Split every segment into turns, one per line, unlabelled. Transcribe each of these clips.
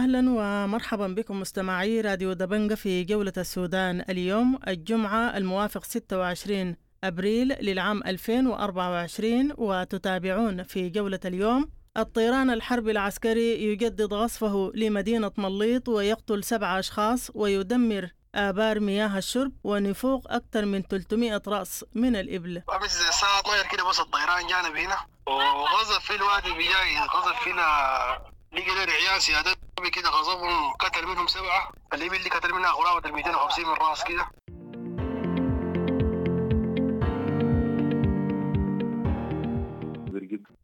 أهلا ومرحبا بكم مستمعي راديو دبنجة في جولة السودان اليوم الجمعة الموافق 26 أبريل للعام 2024، وتتابعون في جولة اليوم: الطيران الحربي العسكري يجدد غصفه لمدينة مليط ويقتل 7 أشخاص ويدمر آبار مياه الشرب ونفوق أكثر من 300 رأس من الإبل.
أمس الساعة 12 كده بس الطيران جانا بهنا وغزف في الوادي بجاي، غزف فينا لقينا رعيان سيادات كده، غضبهم قتل منهم 7، الإبل اللي قتل منها قرابة 250 من راس كده.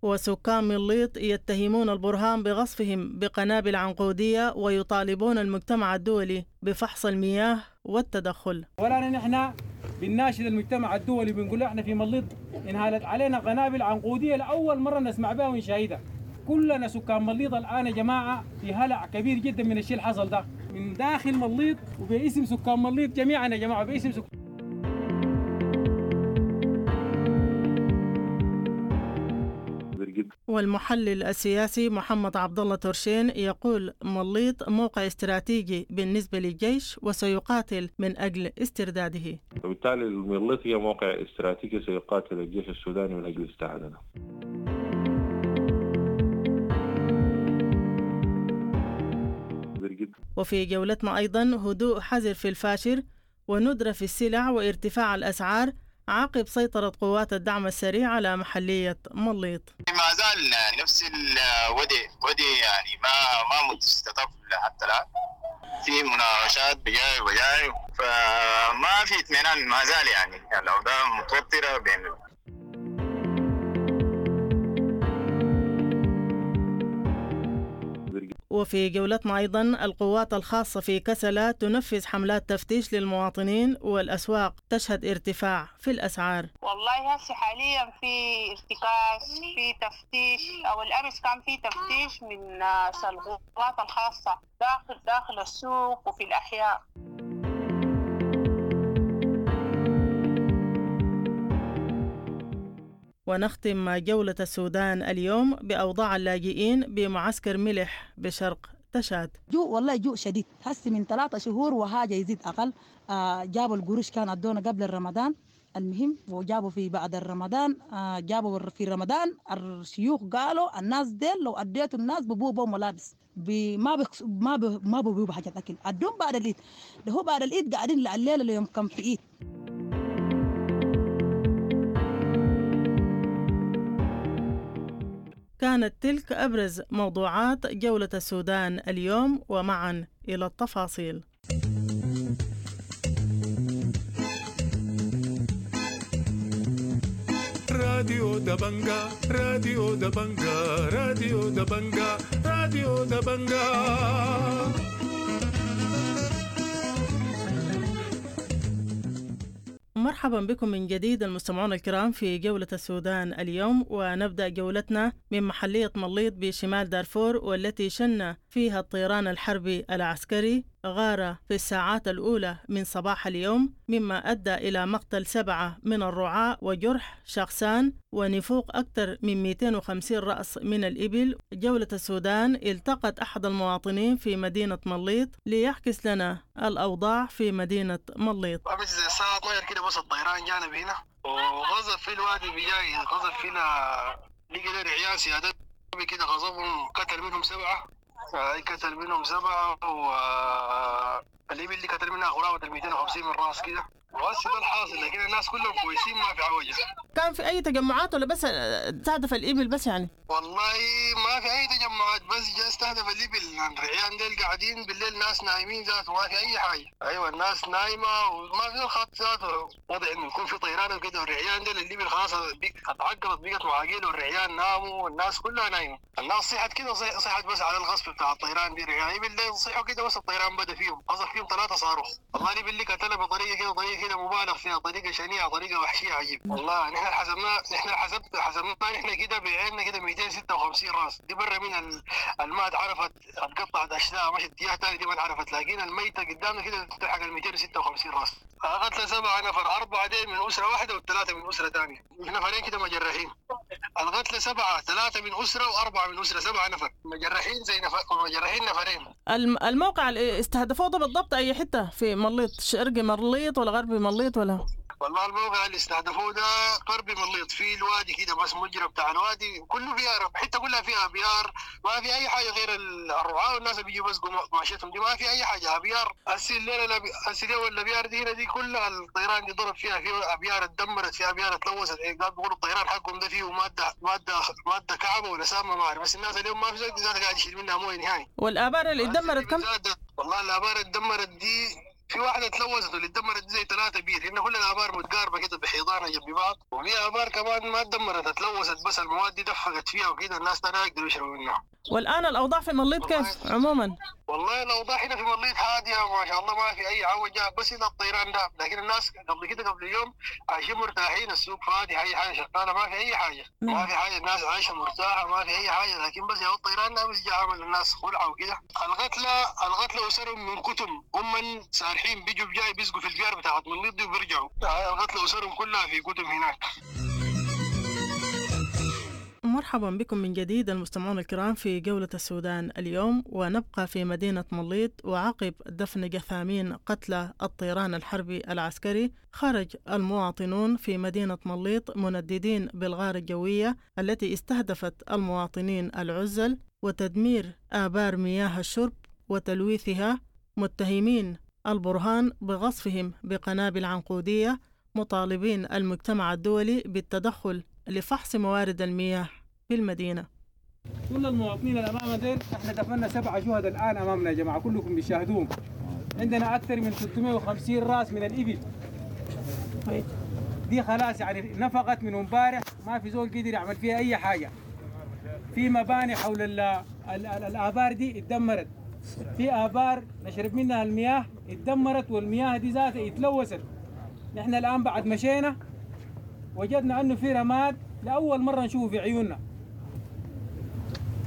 وسكان مليط يتهمون البرهان بغصفهم بقنابل عنقودية ويطالبون المجتمع الدولي بفحص المياه والتدخل.
ولا نحن بنناشد المجتمع الدولي، بنقول احنا في مليط انهالت علينا قنابل عنقودية لأول مرة نسمع بها ونشاهدها. كلنا سكان مليط الآن يا جماعة في هلع كبير جدا من الشيء اللي حصل ده من داخل مليط، وباسم سكان مليط جميعا يا جماعة، باسم سكان.
والمحلل السياسي محمد عبد الله ترشين يقول مليط موقع استراتيجي بالنسبة للجيش وسيقاتل من أجل استرداده.
وبالتالي مليط هي موقع استراتيجي سيقاتل الجيش السوداني من أجل استعادته.
وفي جولتنا أيضا هدوء حذر في الفاشر وندرة في السلع وارتفاع الأسعار عقب سيطرة قوات الدعم السريع على محلية مليط.
ما زال نفس الودي يعني ما مستطف حتى الآن، في مناقشات بجاي وجاي، فما في اطمئنان، ما زال يعني الأوضاع متوترة بين.
وفي جولتنا أيضا القوات الخاصة في كسلة تنفذ حملات تفتيش للمواطنين والأسواق تشهد ارتفاع في الأسعار.
والله هسه حاليا في ارتكاز، في تفتيش، أو الأمس كان في تفتيش من القوات الخاصة داخل السوق وفي الأحياء.
ونختم جولة السودان اليوم بأوضاع اللاجئين بمعسكر ملح بشرق تشاد.
جوع والله جوع شديد، هسي من 3 شهور وحاجة يزيد أقل. جابوا القروش كان أدونا قبل الرمضان، المهم وجابوا في بعد الرمضان، جابوا في رمضان الشيوخ قالوا الناس ديل لو أديتوا الناس ببوبوا ملابس ما ببوبوا حاجة أكل، أدوهم بعد العيد، ده هو بعد العيد قاعدين الليلة اليوم كم في عيد.
كانت تلك أبرز موضوعات جولة السودان اليوم، ومعا إلى التفاصيل.
راديو دبنجا، راديو دبنجا، راديو دبنجا، راديو دبنجا.
مرحبا بكم من جديد المستمعون الكرام في جولة السودان اليوم، ونبدأ جولتنا من محلية مليط بشمال دارفور، والتي شن فيها الطيران الحربي العسكري غارة في الساعات الأولى من صباح اليوم، مما أدى إلى مقتل 7 من الرعاة وجرح شخصان ونفوق أكثر من 250 رأس من الإبل. جولة السودان التقت أحد المواطنين في مدينة مليط ليعكس لنا الأوضاع في مدينة مليط.
أمس الساعة 12 كده بس الطيران جانا بهنا وغزف في الوادي بجاي، غزف فينا لقينا رعيان سيادات كده، غضبهم قتل منهم 7، قتل منهم 7، والإبل اللي قتل منها قرابة 250 من راس كده. وهسه ده الحاصل، لكن الناس كلهم كويسين ما في عوجة.
كان في أي تجمعات ولا بس استهدف الإبل بس يعني؟
والله ما في أي تجمعات، بس جاء استهدف الإبل. الرعيان ديل قاعدين بالليل، ناس نايمين ذاته، ما في أي حاجة. أيوة الناس نايمة وما في الخط ذاته، وضع إنه يكون في طيران وكده، والرعيان ديل الإبل خلاص اتعقلت بقت معاقيل، والرعيان ناموا والناس كلها نايمة. الناس صحت كده، صحت بس على الغصب بتاع الطيران دي. الرعيان الإبل ديل صحوا كده، بس الطيران بدأ فيهم، قصف فيهم 3 صاروخ. والله الإبل اللي قتلها بطريقة كده، طريقة كده مبالغ فيها، طريقة شنيعة، طريقة وحشية عجيب. والله نحن حسبنا، نحن كده بعيننا كده 256 راس دي برا من الماء اتعرفت، اتقطعت اشلاء مشت اتجاه ثاني، دي ما اتعرفت، لكن الميتة قدامنا كده تلحق ال 256 راس. قتل 7 نفر، 4 ديل من اسره واحدة وال3 من اسره ثانية، نفرين كده مجرحين. القتلى 7، 3 من أسرة و4 من أسرة، 7 نفر مجرحين، زي نفر مجرحين نفرين.
الموقع اللي استهدفوه ده بالضبط أي حتة في مليط؟ شرق مليط ولا غرب مليط ولا؟
والله الموقع اللي استهدفوه ده غرب مليط، في الوادي كده بس مجرى بتاع الوادي كله بيار، حتة كلها فيها ابيار، ما في اي حاجة غير الرعاة والناس اللي بيجوا بس ماشيتهم دي، ما في اي حاجة ابيار. هسي الليلة هسي اليوم الابيار دي هنا دي كلها الطيران دي ضرب فيها، في ابيار اتدمرت، في ابيار اتلوثت، قال بيقولوا الطيران حقهم ده فيه مادة مادة مادة كعبه ولا سامة ما اعرف، بس الناس اليوم ما في زول قاعد يشيل منها مويه نهائي.
والابار اللي اتدمرت كم؟
والله الابار اللي اتدمرت دي في واحدة اتلوثت، واللي اتدمرت زي 3 بير، هنا كل الابار متقاربة كده بحيضانها جنب بعض، وفي ابار كمان ما اتدمرت اتلوثت بس المواد دي دفقت فيها وكده، الناس لا يقدروا يشربوا منها.
والان الاوضاع في مليط كيف عموما؟
والله الاوضاع هنا في مليط هادية ما شاء الله، ما في اي عوجه، بس هنا الطيران ده، لكن الناس قبل كده قبل يوم عايشين مرتاحين، السوق فاضي، اي حاجة شغالة، ما في اي حاجة، ما في حاجة، الناس عايشه مرتاحة، ما في اي حاجة، لكن بس يا الطيران ده بس جاء عمل الناس خلعه وكده. القتلى اسرهم من كتم، هم سارحين بيجوا بجاي بيسقوا في البيار بتاعت مليط دي وبيرجعوا، القتلى اسرهم كلها في كتم هناك.
مرحبا بكم من جديد المستمعون الكرام في جولة السودان اليوم، ونبقى في مدينة مليط. وعقب دفن جثامين قتلى الطيران الحربي العسكري، خرج المواطنون في مدينة مليط منددين بالغارة الجوية التي استهدفت المواطنين العزل وتدمير آبار مياه الشرب وتلويثها، متهمين البرهان بغصفهم بقنابل عنقودية، مطالبين المجتمع الدولي بالتدخل لفحص موارد المياه في المدينة.
كل المواطنين اللي امامنا ديل احنا دفنا 7 شهداء الان امامنا يا جماعة، كلكم بتشاهدوهم. عندنا اكثر من 350 راس من الابل دي خلاص يعني نفقت من امبارح، ما في زول قدر يعمل فيها اي حاجة. في مباني حول ال ال ال الابار دي اتدمرت، في ابار نشرب منها المياه اتدمرت، والمياه دي ذاتها اتلوثت. نحن الان بعد مشينا وجدنا انه في رماد لاول مرة نشوفه في عيوننا.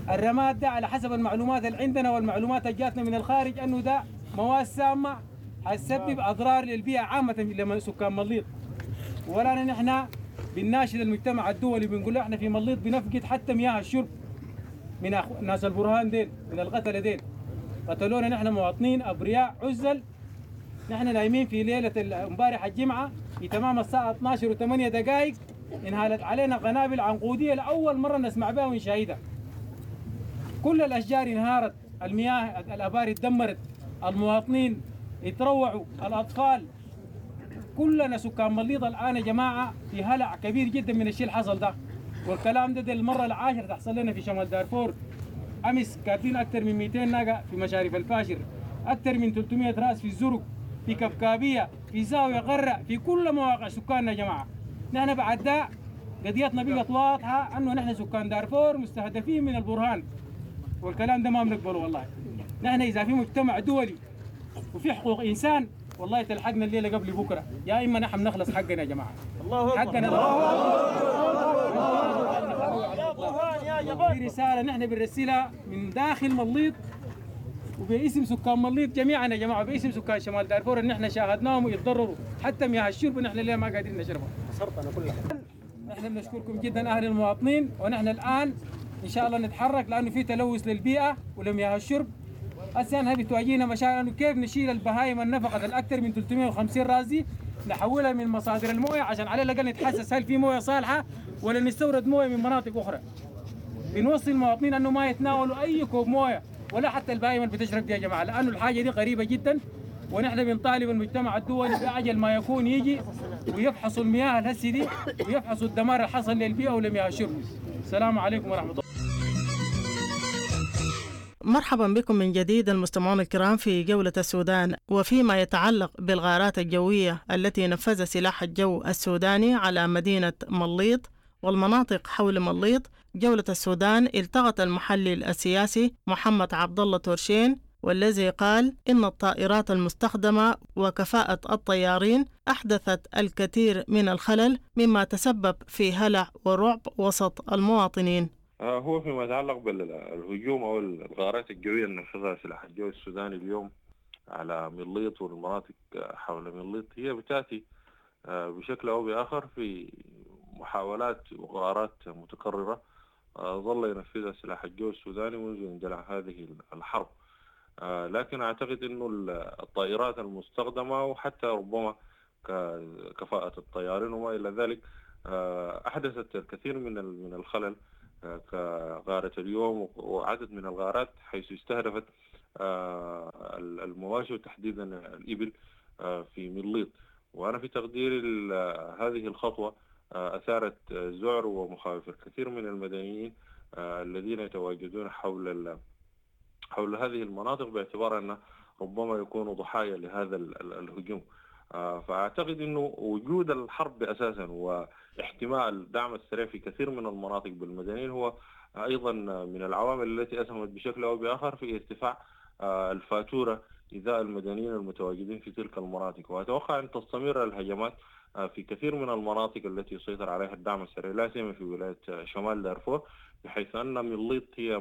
الرماد ده على حسب المعلومات اللي عندنا والمعلومات اللي جاتنا من الخارج انه ده مواد سامة حتسبب اضرار للبيئة عامة لما سكان مليط. ولا نحن بنناشد المجتمع الدولي، بنقول له احنا في مليط بنفقد حتى مياه الشرب من ناس البرهان ديل، من القتلة ديل. قتلونا نحن مواطنين ابرياء عزل. نحن نايمين في ليلة امبارح الجمعة في تمام الساعة 12:08 انهالت علينا قنابل عنقوديه لاول مرة نسمع بها ونشاهدها. كل الاشجار انهارت، المياه الابار اتدمرت، المواطنين اتروعوا، الاطفال، كلنا سكان مليط الان يا جماعة في هلع كبير جدا من الشيء اللي حصل ده. والكلام ده المرة العاشرة تحصل لنا في شمال دارفور. امس كاتلين اكثر من 200 ناقة في مشارف الفاشر، اكثر من 300 راس في الزرق، في كبكابيه، في زاوية غره، في كل مواقع سكاننا يا جماعة. نحن بعد ده قضيتنا بقت واضحة انه نحن سكان دارفور مستهدفين من البرهان، والكلام ده ما بنقبله والله. نحن اذا في مجتمع دولي وفي حقوق انسان والله تلحقنا الليلة قبل بكره، يا اما نحن نخلص حقنا يا جماعة. الله اكبر، حقنا. الله في رسالة نحن بنرسلها من داخل مليط وباسم سكان مليط جميعا يا جماعة، باسم سكان شمال دارفور ان احنا شاهدناهم ويتضرروا حتى مياه الشرب نحن ليه ما قادرين نشربها.
خسرتنا كلها.
نحن بنشكركم جدا اهل المواطنين، ونحن الان ان شاء الله نتحرك لانه في تلوث للبيئة ولمياه الشرب. هسه احنا بتواجهنا مشاكل انه كيف نشيل البهايم النفقت الاكثر من 350 راس دي نحولها من مصادر المويه عشان على الاقل نتحسس هل في مويه صالحه ولا نستورد مويه من مناطق اخرى. بنوصي المواطنين انه ما يتناولوا اي كوب مويه ولا حتى البهايم اللي بتشرب دي يا جماعة، لانه الحاجة دي غريبة جدا. ونحن بنطالب المجتمع الدولي باعجل ما يكون يجي ويفحصوا المياه الهسي دي ويفحصوا الدمار اللي حصل للبيئة ولمياه الشرب. السلام عليكم ورحمة الله.
مرحبا بكم من جديد المستمعون الكرام في جولة السودان. وفيما يتعلق بالغارات الجوية التي نفذ سلاح الجو السوداني على مدينة مليط والمناطق حول مليط، جولة السودان التقت المحلل السياسي محمد عبد الله تورشين، والذي قال إن الطائرات المستخدمة وكفاءة الطيارين أحدثت الكثير من الخلل مما تسبب في هلع ورعب وسط المواطنين.
هو فيما يتعلق بالهجوم أو الغارات الجوية اللي نفذها سلاح الجو السوداني اليوم على مليط والمناطق حول مليط، هي بتأتي بشكل أو بآخر في محاولات وغارات متكررة ظل ينفذها سلاح الجو السوداني منذ اندلاع هذه الحرب. لكن أعتقد أنه الطائرات المستخدمة وحتى ربما كفاءة الطيارين وما إلى ذلك أحدثت الكثير من الخلل، كغارة اليوم وعدد من الغارات حيث استهدفت المواشي وتحديدا الإبل في مليط. وأنا في تقديري هذه الخطوة أثارت ذعر ومخاوف الكثير من المدنيين الذين يتواجدون حول هذه المناطق، باعتبار أن ربما يكونوا ضحايا لهذا الهجوم. فأعتقد أنه وجود الحرب أساسا واحتمال دعم السريع في كثير من المناطق بالمدنيين هو أيضا من العوامل التي أسهمت بشكل أو بآخر في ارتفاع الفاتورة إزاء المدنيين المتواجدين في تلك المناطق. وأتوقع أن تستمر الهجمات في كثير من المناطق التي يسيطر عليها الدعم السريع، لا سيما في ولاية شمال دارفور، بحيث أن مليط هي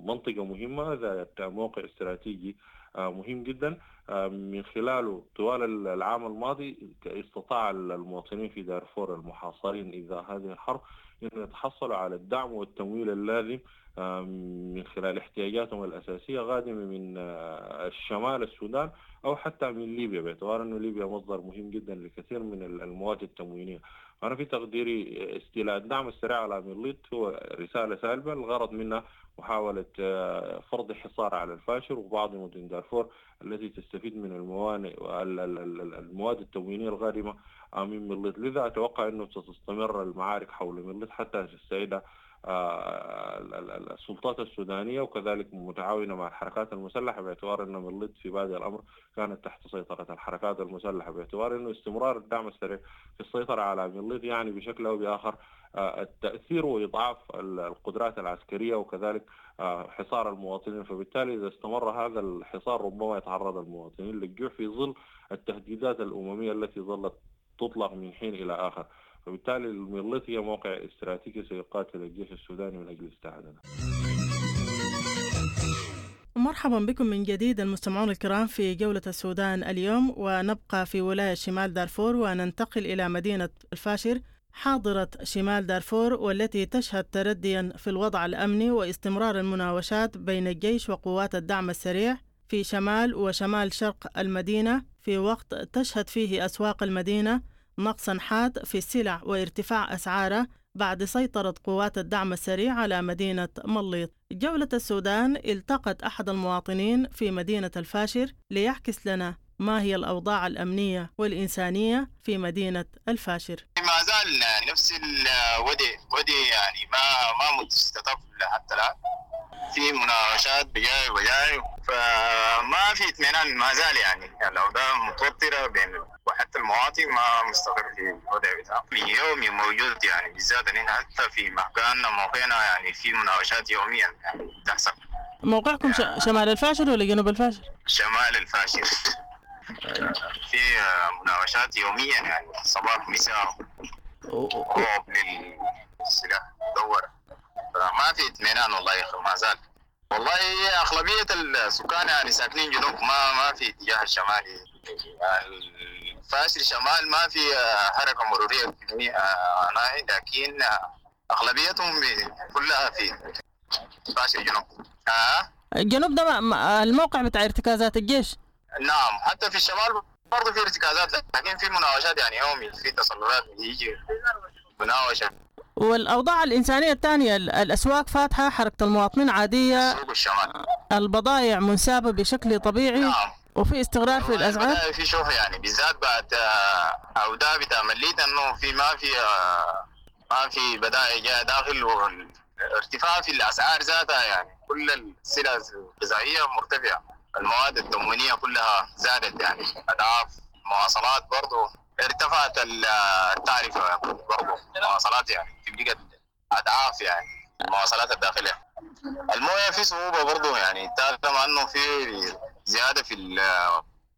منطقة مهمة ذات موقع استراتيجي مهم جدا، من خلاله طوال العام الماضي استطاع المواطنين في دارفور المحاصرين إزاء هذه الحرب أن يتحصلوا على الدعم والتمويل اللازم من خلال احتياجاتهم الأساسية قادمة من الشمال السودان أو حتى من ليبيا، باعتبار أن ليبيا مصدر مهم جدا لكثير من المواد التموينية. أنا في تقديري استيلاء الدعم السريع على مليط هو رسالة سالبة، الغرض منها محاولة فرض حصار على الفاشر وبعض مدن دارفور التي تستفيد من الموانئ والمواد التموينية القادمة من مليط. لذا أتوقع أنه ستستمر المعارك حول مليط حتى تستعيد السلطات السودانية، وكذلك متعاونة مع الحركات المسلحة، باعتبار أن مليط في بادئ الأمر كانت تحت سيطرة الحركات المسلحة، باعتبار أنه استمرار الدعم السريع في السيطرة على مليط يعني بشكل أو بآخر التأثير وإضعاف القدرات العسكرية وكذلك حصار المواطنين. فبالتالي إذا استمر هذا الحصار ربما يتعرض المواطنين للجوع في ظل التهديدات الأممية التي ظلت تطلق من حين إلى آخر. فبالتالي المليط هي موقع استراتيجي سيقاتل الجيش السوداني من أجل استعادته.
مرحبا بكم من جديد المستمعون الكرام في جولة السودان اليوم، ونبقى في ولاية شمال دارفور وننتقل إلى مدينة الفاشر حاضرة شمال دارفور، والتي تشهد ترديا في الوضع الأمني واستمرار المناوشات بين الجيش وقوات الدعم السريع في شمال وشمال شرق المدينة، في وقت تشهد فيه أسواق المدينة نقصا حاد في السلع وارتفاع أسعارها بعد سيطرة قوات الدعم السريع على مدينة مليط. جولة السودان التقت أحد المواطنين في مدينة الفاشر ليعكس لنا ما هي الأوضاع الأمنية والإنسانية في مدينة الفاشر.
ما زال نفس الوضع يعني ما مستتب حتى الآن، في مناقشات بجاي وجاي، فما في اطمئنان ما زال، يعني الأوضاع متوترة بين، وحتى المواطن ما مستقر في الوضع بتاعه. يومي موجود يعني، بالذات إن حتى في مكاننا موقعنا يعني في مناقشات يوميا يعني تحصل.
موقعكم شمال الفاشر ولا جنوب الفاشر؟
شمال الفاشر. في مناوشات يوميا يعني صباح مساء رعب للسلاح دور، فما في اطمئنان والله ما زال. والله اغلبيه السكان يعني ساكنين جنوب، ما في اتجاه الشمالي. الفاشر شمال ما في حركه مروريه لكن اغلبيتهم كلها في فاشر جنوب.
الجنوب ده الموقع بتاع ارتكازات الجيش.
نعم، حتى في الشمال برضه في ارتكازات، لكن في مناوشات يعني يومي، في تسللات بيجي مناوشة.
والأوضاع الإنسانية الثانية، الأسواق فاتحة، حركة المواطنين عادية،
سوق الشمال
البضائع منسابة بشكل طبيعي.
نعم.
وفي استقرار في الأسعار،
في شوف يعني بالذات بعد عودة بتاع مليت إنه في ما في بضائع جاية داخل، والارتفاع في الأسعار ذاتها يعني كل السلع الغذائية مرتفعة، المواد التموينية كلها زادت يعني أضعاف، المواصلات برضو ارتفعت التعرفة برضو، المواصلات يعني بقت أضعاف يعني المواصلات الداخلية. الموية في صعوبة برضو يعني، طالما أنه في زيادة في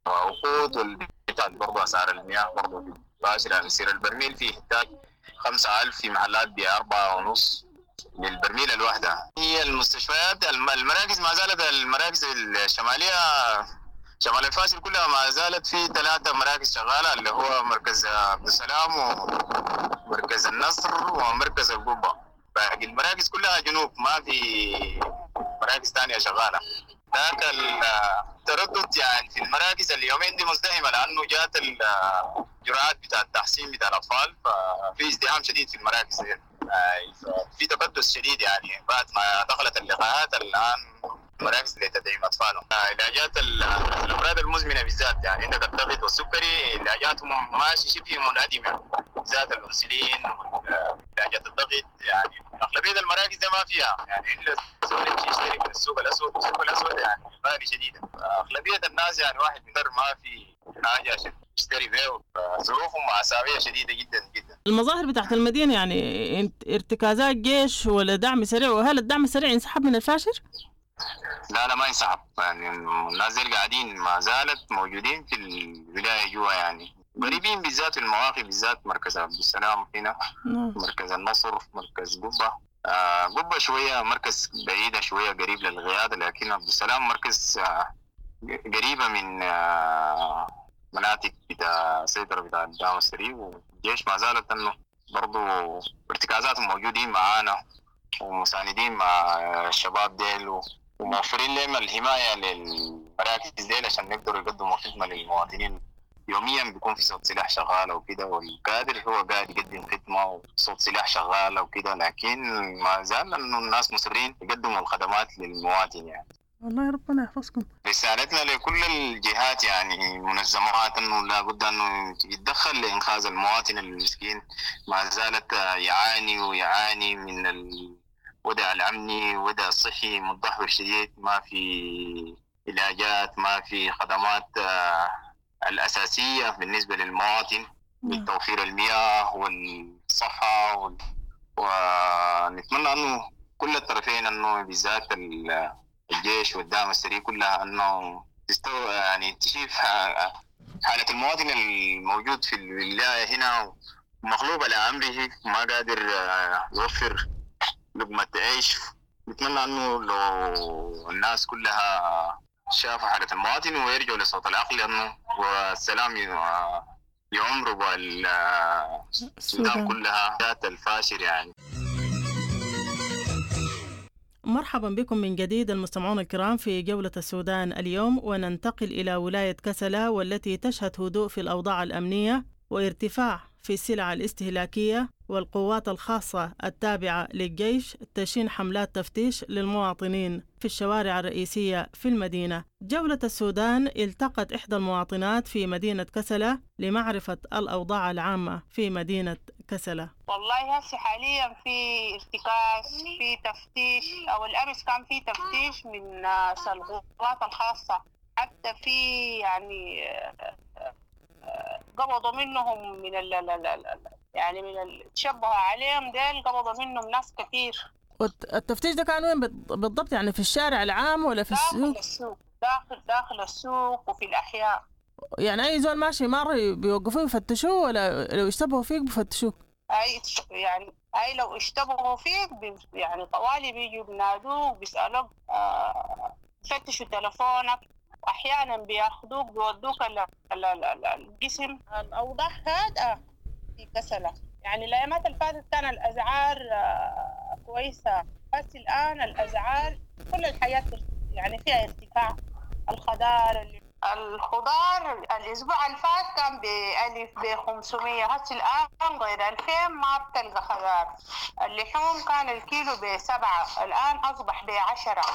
الوقود والبتاع برضو أسعار المياه برضو مباشرة يعني، يصير البرميل فيه إنتاج 5,000 في محلات ب4.5 للبرميل الواحدة. هي المستشفيات المراكز ما زالت، المراكز الشمالية شمال الفاشل كلها ما زالت في 3 مراكز شغالة، اللي هو مركز عبد السلام مركز النصر ومركز القبة. باقي المراكز كلها جنوب، ما في مراكز ثانية شغالة. ذاك التردد يعني في المراكز اليومين دي مزدحمه، لانه جات الجرعات بتاع التحسين بتاع الاطفال، ففي ازدحام شديد في المراكز دي. في تكدس شديد يعني بعد ما دخلت اللقاحات الان مراكز لتدعيم اطفالهم. علاجات الامراض المزمنة بالذات، يعني عندك الضغط والسكري علاجاتهم ماشي شبه منعدمة، بالذات الانسولين علاجات الضغط، يعني اغلبية المراكز ده ما فيها، يعني الا الزول يمشي يشتري من السوق الاسود، والسوق الاسود يعني غالي شديدا. اغلبية الناس يعني واحد بيقدر ما في حاجة عشان يشتري بيه، ظروفهم مأساوية شديدة جدا جدا.
المظاهر بتاعت المدينة يعني ارتكازات جيش ولا دعم سريع؟ وهل الدعم السريع انسحب من الفاشر؟
لا لا ما انسحب، يعني الناس دي قاعدين ما زالت موجودين في الولاية جوا، يعني قريبين بالذات في المواقف، بالذات مركز عبد السلام هنا، مركز النصر، مركز قبة. قبة شوية مركز بعيدة شوية قريب للغيادة، لكن عبد السلام مركز قريبة من مناطق بتاع سيطرة بتاع الدعم السريع، والجيش ما زالت انه برضو ارتكازاتهم موجودين معانا ومساندين مع الشباب ديل وموفرين لهم الحماية للمراكز ديل عشان يقدروا يقدموا خدمة للمواطنين. يوميا بيكون في صوت سلاح شغالة وكده، والكادر هو قاعد يقدم خدمة وصوت سلاح شغالة وكده، لكن ما زال انه الناس مصرين يقدموا الخدمات للمواطن يعني.
والله ربنا يحفظكم.
رسالتنا لكل الجهات يعني منظمات انه لابد انه يتدخل لانقاذ المواطن المسكين، ما زالت يعاني ويعاني من الوضع الامني والوضع الصحي متدهور شديد، ما في علاجات، ما في خدمات الاساسية بالنسبة للمواطن من توفير المياه والصحة ونتمنى انه كل الطرفين انه بالذات الجيش والدعم السريع كلها انه تستوى يعني تشوف حالة المواطن الموجود في الولاية هنا مغلوب على امره وما قادر يوفر لقمة عيش. نتمنى انه لو الناس كلها شافوا حالة المواطن ويرجعوا لصوت العقل، انه والسلام يعمروا السودان كلها ذات الفاشر يعني.
مرحبا بكم من جديد المستمعون الكرام في جولة السودان اليوم، وننتقل إلى ولاية كسلا والتي تشهد هدوء في الأوضاع الأمنية وارتفاع في السلع الاستهلاكية، والقوات الخاصة التابعة للجيش تشين حملات تفتيش للمواطنين في الشوارع الرئيسية في المدينة. جولة السودان التقت إحدى المواطنات في مدينة كسلا لمعرفة الأوضاع العامة في مدينة كسلا.
والله هسه حاليا في ارتكاز، في تفتيش، أو الأمس كان في تفتيش من القوات الخاصة، حتى في يعني قبضوا منهم من ال يعني من تشبهوا عليهم ديل، قبضوا منهم ناس كثير.
والتفتيش ده كان وين بالضبط؟ يعني في الشارع العام ولا في السوق؟
داخل السوق، داخل السوق وفي الأحياء.
يعني أي زول ماشي مر بيوقفوه يفتشوه، ولا لو اشتبهوا فيك بفتشوك؟
أي يعني أي لو اشتبهوا فيك يعني طوالي بيجوا بينادوك بيسألوك، بيفتشوا تلفونك، أحيانا بياخدوك بيودوك الجسم. الأوضاع هادئة في كسلة، يعني الأيامات اللي فاتت كان الأسعار كويسة، بس الآن الأسعار كل الحياة يعني فيها ارتفاع. الخضار الأسبوع اللي فات كان ب1000 ب500، هسه الآن غير 2000 ما بتلقى خضار. اللحوم كان الكيلو ب7، الآن أصبح ب10.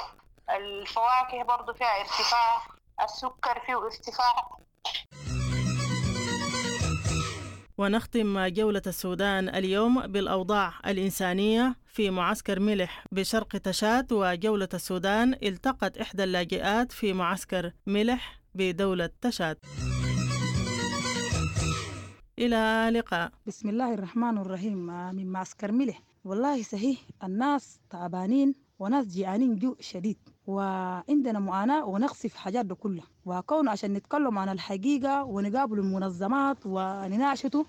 الفواكه برضو فيها ارتفاع، السكر فيه ارتفاع.
ونختم جولة السودان اليوم بالأوضاع الإنسانية في معسكر ملح بشرق تشاد. وجولة السودان التقت إحدى اللاجئات في معسكر ملح بدولة تشاد. إلى اللقاء.
بسم الله الرحمن الرحيم. من معسكر ملح، والله صحيح الناس تعبانين وناس جيعانين جوع شديد، وعندنا معاناة ونقص في حاجات ده كلها. وكون عشان نتكلم عن الحقيقة ونقابل المنظمات ونناقشته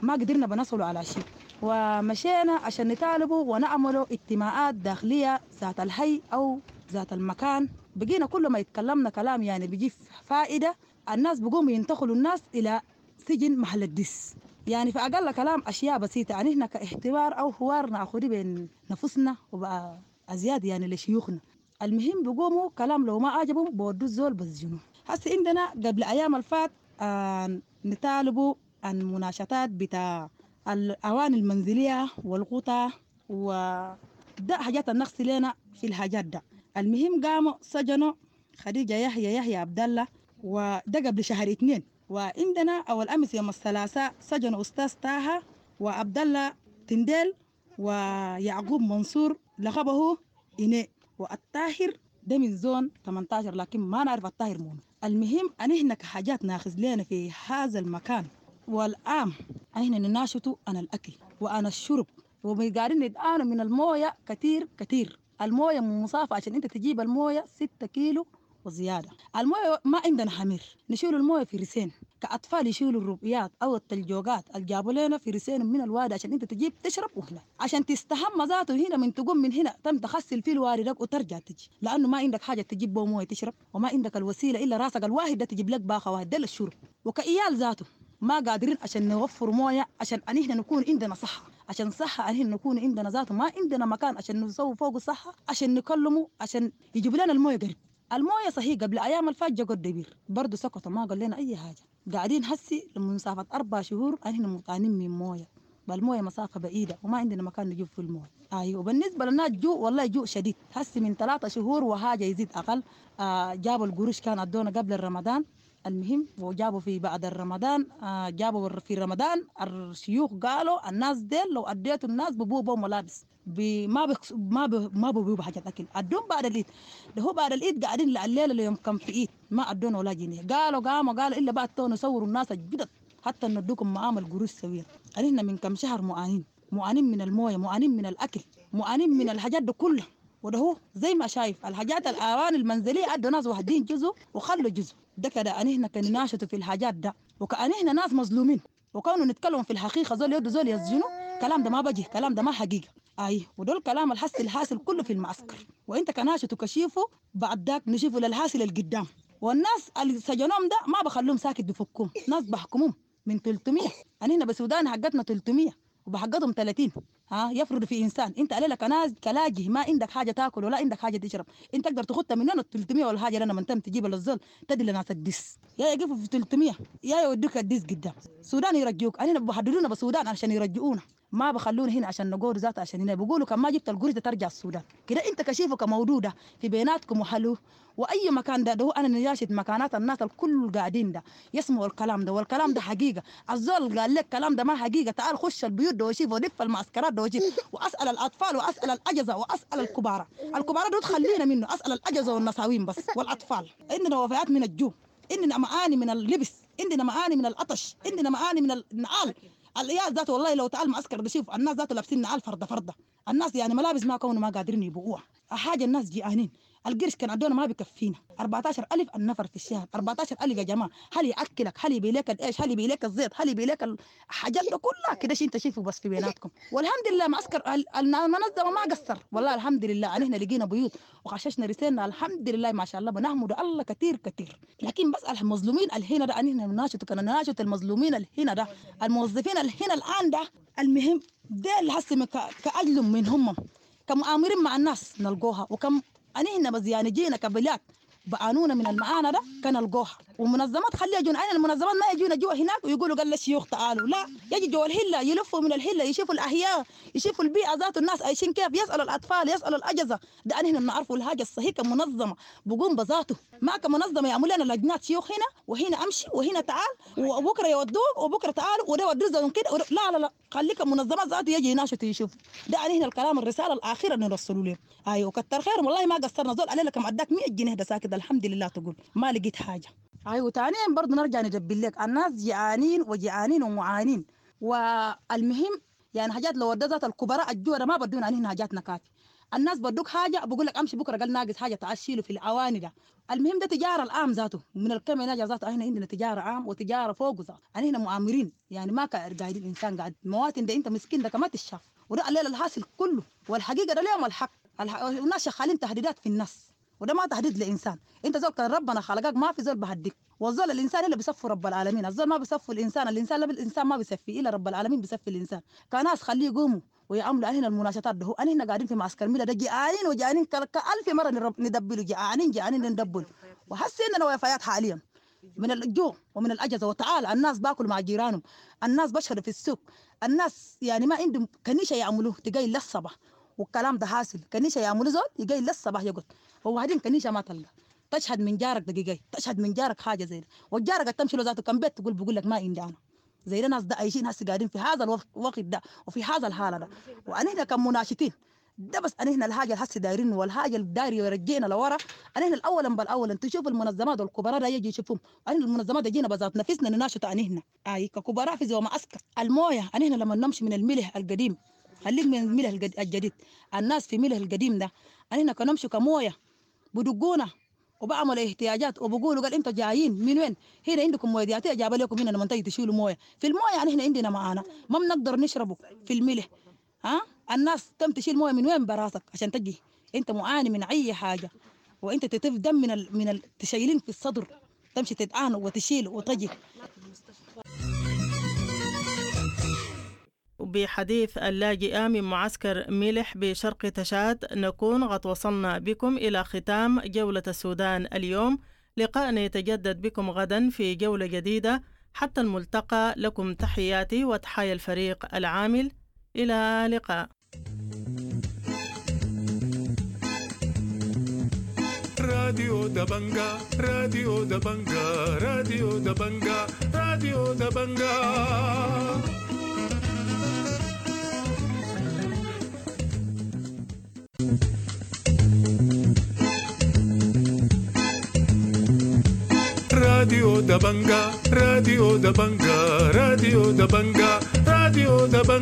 ما قدرنا بنصلوا على شيء، ومشينا عشان نطالبوا ونعملوا اجتماعات داخلية ذات الحي أو ذات المكان. بقينا كل ما يتكلمنا كلام يعني بيجي فائدة، الناس بقوموا ينتقلوا الناس إلى سجن محل الدس. يعني في أقل كلام أشياء بسيطة، يعني إحنا كاحتوار أو حوار ناخده بين نفسنا وبقى أزياد يعني لشيوخنا. المهم بيقوموا كلام لو ما عجبهم بودوا الزول بسجنوا. هسه عندنا قبل أيام الفات نطالبوا عن مناشطات بتاع الأواني المنزلية والقطع وده حاجات النقص لنا في الحاجات ده. المهم قاموا سجنوا خديجة يحيى عبد الله، وده قبل شهر 2. وعندنا أول أمس يوم الثلاثاء سجنوا أستاذ طه وعبد الله تنديل ويعقوب منصور لقبه إني، والطاهر ده من زون 18 لكن ما نعرف الطاهر مون. المهم أن إحنا كحاجات ناخذ لنا في هذا المكان، والآن إحنا نناشطوا عن الأكل وعن الشرب، وقاعدين نتعانوا من الموية كتير كتير. الموية مسافة عشان أنت تجيب الموية 6 كيلو وزيادة. الموية ما عندنا حمير، نشيل الموية في رسين، كأطفال يشيلوا الربيات أو التلجوقات اللي جابوا لنا في رسين من الوادي عشان أنت تجيب تشرب، وهنا عشان تستحمى ذاته هنا من تقوم من هنا تم تغسل في الوادي ده وترجع تجي، لأنه ما عندك حاجة تجيب بو موية تشرب، وما عندك الوسيلة إلا راسك الواحد ده تجيب لك باخة واحد ده للشرب. وكإيال ذاته ما قادرين عشان نوفر موية عشان أن إحنا نكون عندنا صحة، عشان صحة أن إحنا نكون عندنا ذاته ما عندنا مكان عشان نسوي فوق الصحة عشان نكلمه عشان يجيب لنا الموية قريب. الموية صحيح قبل أيام الفات جا قد برضه سكتوا ما قال لنا أي حاجة. قاعدين هسي لمسافة 4 شهور احنا مطانين من موية، بالموية مسافة بعيدة وما عندنا مكان نجيب في الموية. أيوة. وبالنسبة لنا جوع والله جوع شديد، هسي من 3 شهور وحاجة يزيد أقل. جابوا القروش كان أدونا قبل الرمضان، المهم وجابوا في بعد الرمضان، جابوا في رمضان الشيوخ قالوا الناس ديل لو أديتوا الناس ببوبوا ملابس ما ببوبوا حاجة أكل، أدون بعد العيد. ده هو بعد العيد قاعدين الليلة اللي يوم كم في عيد ما أدونا ولا جنيه. قالوا إلا بعد تو نصوروا الناس الجدد حتى ندوكم معامل قروش سوية. قالنا من كم شهر معانين من الموية، معانين من الأكل، معانين من الحاجات ده كلها. وده هو زي ما شايف الحاجات الأواني المنزلية أدوا ناس واحدين جزء وخلوا جزء ده كده. أن إحنا كان ناشطوا في الحاجات ده، وكأن إحنا ناس مظلومين، وكانوا نتكلم في الحقيقة زول يدوا زول يسجنوا، كلام ده ما بجي، كلام ده ما حقيقة. أي ودول كلام الحس الحاصل كله في المعسكر، وإنت كناشط وكشيفه بعد ذاك نشوفه للحاصل القدام. والناس اللي سجنوهم ده ما بخلوهم ساكت، بفكهم ناس بحكمهم من 300. أنا هنا بسودان حقتنا 300 وبحقتهم 30. ها يفرض في انسان انت عليك ناس كلاجي ما عندك حاجة تاكل ولا عندك حاجة تشرب، انت تقدر تاخدها من هنا 300 ولا حاجة لنا من تم تجيب للزول تدي لناس الدس، يا يقفوا في 300 يا يودوك الدس قدام السودان يرجوك. انا بحددونا بالسودان عشان يرجعونا، ما بخلونا هنا عشان نقول ذات عشان هنا بيقولوا كان ما جبت القرش ترجع السودان كده. انت كشيفه كموجوده في بيناتكم وحلو واي مكان ده انا نجاشت مكانات الناس الكل قاعدين ده يسمعوا الكلام ده، والكلام ده حقيقة. الزول قال لك كلام ده ما حقيقة، تعال خش البيوت ده وشوف ولف المعسكرات ده وشوف، واسال الاطفال واسال الاجهزة واسال الكبار. الكبار دول خلينا منه، اسال الاجهزة والنساوين بس والاطفال. عندنا وفيات من الجوع، عندنا معاني من اللبس، عندنا معاني من العطش، عندنا معاني من النعال. العيال ذاته والله لو تعال معسكر بشوف الناس ذاته لابسين نعال فرده فرده، الناس يعني ملابس ما كونوا ما قادرين يبيعوها. حاجة الناس جيعانين، القرش كان عندنا ما بيكفينا. 14,000 النفر في الشهر، 14,000 يا جماعة. هل ياكلك؟ هل يبي لك الايش؟ هل يبي لك الزيت؟ هل يبي لك الحاجات ده كلها كده شيء انت شايفه بس في بيناتكم. والحمد لله معسكر المنظمة ما قصر والله الحمد لله. احنا لقينا بيوت وخششنا رسالنا الحمد لله ما شاء الله، بنحمد الله كثير كثير. لكن بس المظلومين الهنا ده احنا نناشد، كنا نناشد المظلومين الهنا ده، الموظفين الهنا الان ده. المهم ده اللي حس كأجلهم من هم كمؤامرين مع الناس نلقوها، وكم أنا هنا بس يعني جينا كبلاد بعانونا من المعاناة ده كان القوها. ومنظمات خليها يجون، أنا المنظمات ما يجونا جوا هناك ويقولوا قال الشيوخ تعالوا، لا يجي جوا الهلة يلفوا من الهلة يشوفوا الأحياء، يشوفوا البيئة ذات الناس عايشين كيف، يسألوا الأطفال، يسألوا الأجهزة. ده أنا هنا بنعرفوا الحاجة الصحيحة كمنظمة بقوم بذاته، ما كمنظمة يعملوا لنا لجنات شيوخ هنا وهنا أمشي وهنا تعال وبكرة يودوك وبكرة تعالوا وده ودوا كده. لا لا لا، خليك منظمات ذاته يجي يناشط يشوف. ده أنا هنا الكلام الرسالة الأخيرة اللي نرسلوا لهم. أيوة كتر خيرهم والله ما قصرنا، زول علينا كم عداك 100 جنيه ده ساكت الحمد لله تقول ما لقيت حاجة. أيوة ثانيا برضه نرجع نجبل لك الناس جعانين وجعانين ومعانين. والمهم يعني حاجات لو ودت الكبراء الجوع ما بدونا علينا حاجاتنا كافي. الناس بدوك حاجة بقول لك امشي بكره قال ناقص حاجة تعال شيله في الاواني ده. المهم ده تجارة العام ذاته من الكم ناجا ذاته. احنا عندنا تجارة عام وتجارة فوق ذاته. احنا هنا مؤامرين يعني ما قاعدين الانسان قاعد مواطن ده انت مسكين ده كما تشاف. وده الليل الحاصل كله والحقيقة ده اليوم الحق. الناس شغالين تهديدات في الناس وده ما تهديد لانسان. انت زول كان ربنا خلقك ما في زول بهديك، والزول الانسان اللي بيصفي رب العالمين، الزول ما بيصفي الانسان، الانسان لا الانسان ما بيصفي الا رب العالمين بيصفي الانسان. كناس خليه يقوموا ويعملوا علينا المناشطات ده. انا قاعدين في معسكر ميلا ده جيعانين وجعانين كألف مرة ندبلوا، جعانين جعانين ندبل، وحسينا اننا وفيات حاليا من الجوع ومن الاجهزة. وتعال الناس باكل مع جيرانهم، الناس بشهدوا في السوق، الناس يعني ما عندهم كنيشه يعملوه تقاي للصباح، والكلام ده حاصل. كنيشه يعملوا زول يقاي للصباح يقعد، وبعدين كنيشه ما تلقى تشهد من جارك دقيقة، تشهد من جارك حاجة زي ده، والجارك تمشي له ذاته كم بيت تقول بقول لك ما عندي انا. زي ده ناس ده عايشين هسه قاعدين في هذا الوقت ده وفي هذا الحالة ده. وانا هنا كمناشطين ده بس انا هنا الحاجة اللي هسه دايرين، والحاجة اللي داير يرجعنا لورا. انا هنا الاولا بالاولا تشوف المنظمات والكبراء ده يجي يشوفهم. انا المنظمات يجينا بذات نفسنا نناشط. انا هنا اي ككبراء في زي معسكر المويه. انا هنا لما نمشي من الملح القديم، خليك من الملح الجديد، الناس في ملح القديم ده انا هنا كنمشي كمويه بدقونا وبعمل احتياجات وبقولوا قال انتوا جايين من وين؟ هنا عندكم مويه دياتيه جاب لكم هنا لما تيجي تشيلوا مويه في المويه. يعني احنا عندنا معانا ما بنقدر نشربه في الملح. ها الناس تم تشيل مويه من وين براسك عشان تجي؟ انت معاني من اي حاجة، وانت تتف دم من تشيلين في الصدر، تمشي تتعان وتشيل وتجي.
بحديث اللاجئة من معسكر ملح بشرق تشاد نكون قد وصلنا بكم إلى ختام جولة السودان اليوم. لقاءنا يتجدد بكم غدا في جولة جديدة. حتى الملتقى، لكم تحياتي وتحايا الفريق العامل. إلى لقاء.
راديو دبنجا، راديو دبنجا، راديو دبنجا، راديو دبنجا. راديو دبنجا، راديو دبنجا، راديو دبنجا، راديو دبنجا.